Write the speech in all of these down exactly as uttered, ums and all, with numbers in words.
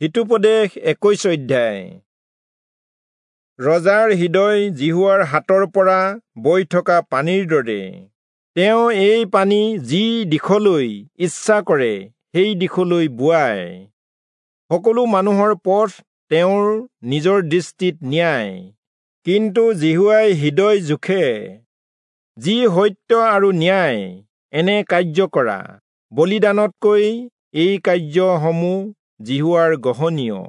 হিতোপদেশ একৈশ অধ্যায়। ৰজাৰ হৃদয় যিহোৱাৰ হাতৰ পৰা বৈ থকা পানীৰ দৰে, তেওঁ এই পানী যি দিশলৈ ইচ্ছা কৰে সেই দিশলৈ বোৱায়। সকলো মানুহৰ পথ তেওঁৰ নিজৰ দৃষ্টিত ন্যায়, কিন্তু যিহোৱাই হৃদয় জোখে। যি সত্য আৰু ন্যায় এনে কাৰ্য কৰা, বলিদানতকৈ এই কাৰ্যসমূহ যিহোৱাৰ গ্ৰহণীয়।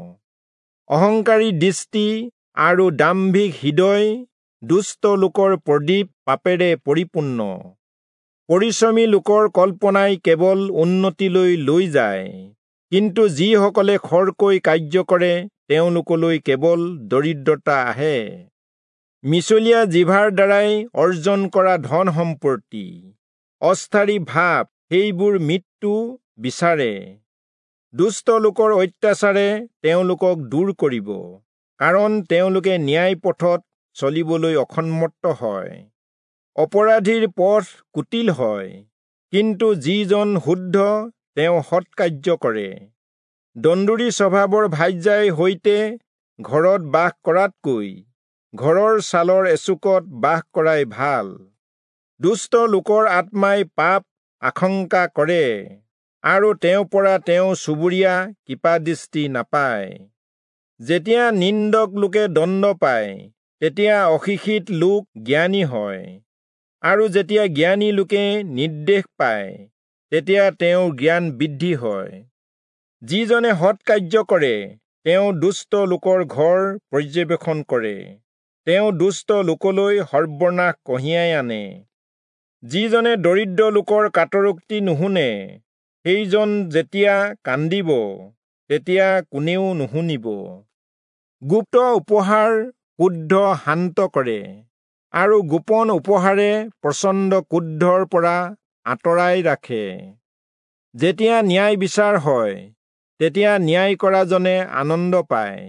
অহংকাৰী দৃষ্টি আৰু দাম্ভিক হৃদয় দুষ্ট লোকৰ প্ৰদীপ পাপেৰে পৰিপূৰ্ণ। পৰিশ্ৰমী লোকৰ কল্পনাই কেৱল উন্নতিলৈ লৈ যায়, কিন্তু যিসকলে খৰকৈ কাৰ্য কৰে তেওঁলোকলৈ কেৱল দৰিদ্ৰতা আহে। মিছলীয়া জিভাৰ দ্বাৰাই অৰ্জন কৰা ধন সম্পত্তি, অস্থায়ী ভাৱ, সেইবোৰ মৃত্যু বিচাৰে। দুষ্ট লোকৰ অত্যাচাৰে তেওঁলোকক দূৰ কৰিব, কাৰণ তেওঁলোকে ন্যায় পথত চলিবলৈ অসন্মত হয়। অপৰাধীৰ পথ কুটিল হয়, কিন্তু যিজন শুদ্ধ তেওঁ সৎকাৰ্য কৰে। দন্দুৰী স্বভাৱৰ ভাৰ্যাই সৈতে ঘৰত বাস কৰাতকৈ ঘৰৰ ছালৰ এচুকত বাস কৰাই ভাল। দুষ্ট লোকৰ আত্মাই পাপ আশংকা কৰে, আৰু তেওঁৰ পৰা তেওঁ চুবুৰীয়া কৃপাদৃষ্টি নাপায়। যেতিয়া নিন্দক লোকে দণ্ড পায়, তেতিয়া অশিক্ষিত লোক জ্ঞানী হয়, আৰু যেতিয়া জ্ঞানী লোকে নিৰ্দেশ পায়, তেতিয়া তেওঁৰ জ্ঞান বৃদ্ধি হয়। যিজনে সৎকাৰ্য কৰে তেওঁ দুষ্ট লোকৰ ঘৰ পৰ্যবেক্ষণ কৰে, তেওঁ দুষ্ট লোকলৈ সৰ্বনাশ কঢ়িয়াই আনে। যিজনে দৰিদ্ৰ লোকৰ কাতৰোক্তি নুশুনে, সেইজন যেতিয়া কান্দিব তেতিয়া কোনেও নুশুনিব। গুপ্ত উপহাৰ ক্ৰোধ শান্ত কৰে, আৰু গোপন উপহাৰে প্ৰচণ্ড ক্ৰোধৰ পৰা আঁতৰাই ৰাখে। যেতিয়া ন্যায় বিচাৰ হয়, তেতিয়া ন্যায় কৰাজনে আনন্দ পায়,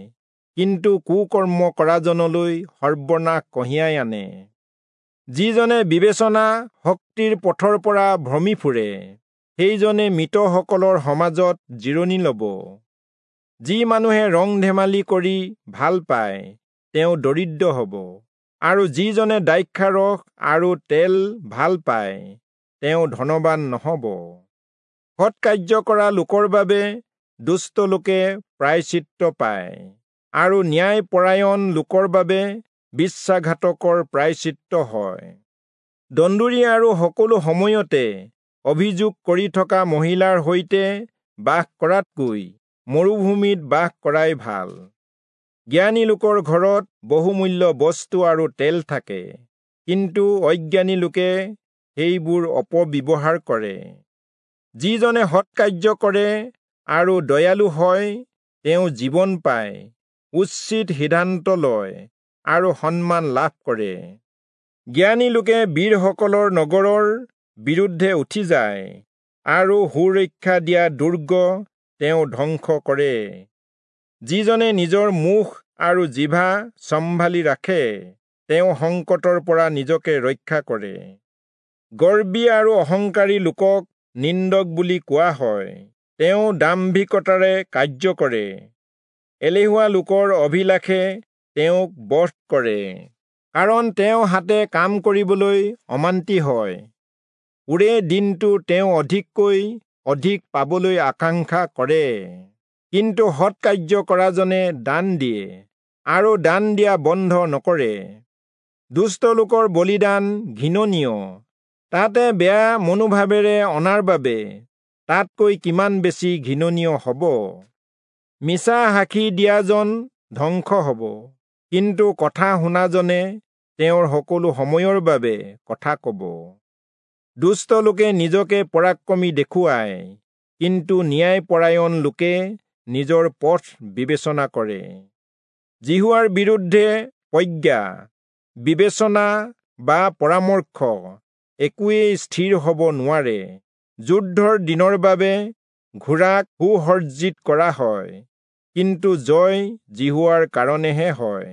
কিন্তু কুকৰ্ম কৰাজনলৈ সৰ্বনাশ কঢ়িয়াই আনে। যিজনে বিবেচনা শক্তিৰ পথৰ পৰা ভ্ৰমি ফুৰে, সেইজনে মৃতসকলৰ সমাজত জিৰণি ল'ব। যি মানুহে ৰং ধেমালি কৰি ভাল পায়, তেওঁ দৰিদ্ৰ হ'ব, আৰু যিজনে দ্ৰাক্ষাৰস আৰু তেল ভাল পায়, তেওঁ ধনবান নহ'ব। সৎকাৰ্য কৰা লোকৰ বাবে দুষ্ট লোকে প্ৰায়শ্চিত্ত পায়, আৰু ন্যায়পৰায়ণ লোকৰ বাবে বিশ্বাসঘাতকৰ প্ৰায়শ্চিত্ত হয়। দন্দুৰী আৰু সকলো সময়তে অভিযোগ কৰি থকা মহিলাৰ সৈতে বাস কৰাতকৈ মৰুভূমিত বাস কৰাই ভাল। জ্ঞানী লোকৰ ঘৰত বহুমূল্য বস্তু আৰু তেল থাকে, কিন্তু অজ্ঞানী লোকে সেইবোৰ অপব্যৱহাৰ কৰে। যিজনে সৎকাৰ্য কৰে আৰু দয়ালু হয়, তেওঁ জীৱন পায়, উচিত সিদ্ধান্ত লয় আৰু সন্মান লাভ কৰে। জ্ঞানী লোকে বীৰসকলৰ নগৰৰ বিৰুদ্ধে উঠি যায়, আৰু সুৰক্ষা দিয়া দুৰ্গ তেওঁ ধ্বংস কৰে। যিজনে নিজৰ মুখ আৰু জিভা চম্ভালি ৰাখে, তেওঁ সংকটৰ পৰা নিজকে ৰক্ষা কৰে। গৰ্বী আৰু অহংকাৰী লোকক নিন্দক বুলি কোৱা হয়, তেওঁ দাম্ভিকতাৰে কাৰ্য কৰে। এলেহুৱা লোকৰ অভিলাষে তেওঁক বধ কৰে, কাৰণ তেওঁ হাতে কাম কৰিবলৈ অমান্তি হয়। ওৰে দিনটো তেওঁ অধিককৈ অধিক পাবলৈ আকাংক্ষা কৰে, কিন্তু সৎকাৰ্য কৰাজনে দান দিয়ে, আৰু দান দিয়া বন্ধ নকৰে। দুষ্ট লোকৰ বলিদান ঘৃণনীয়, তাতে বেয়া মনোভাৱেৰে অনাৰ বাবে তাতকৈ কিমান বেছি ঘৃণনীয় হ'ব। মিছা সাক্ষী দিয়াজন ধ্বংস হ'ব, কিন্তু কথা শুনাজনে তেওঁৰ সকলো সময়ৰ বাবে কথা ক'ব। দুষ্ট লোকে নিজকে পৰাক্ৰমী দেখুৱায়, কিন্তু ন্যায়পৰায়ণ লোকে নিজৰ পথ বিবেচনা কৰে। যিহোৱাৰ বিৰুদ্ধে প্ৰজ্ঞা, বিবেচনা বা পৰামৰ্শ একোৱেই স্থিৰ হ'ব নোৱাৰে। যুদ্ধৰ দিনৰ বাবে ঘোঁৰাক সুসজ্জিত কৰা হয়, কিন্তু জয় যিহোৱাৰ কাৰণেহে হয়।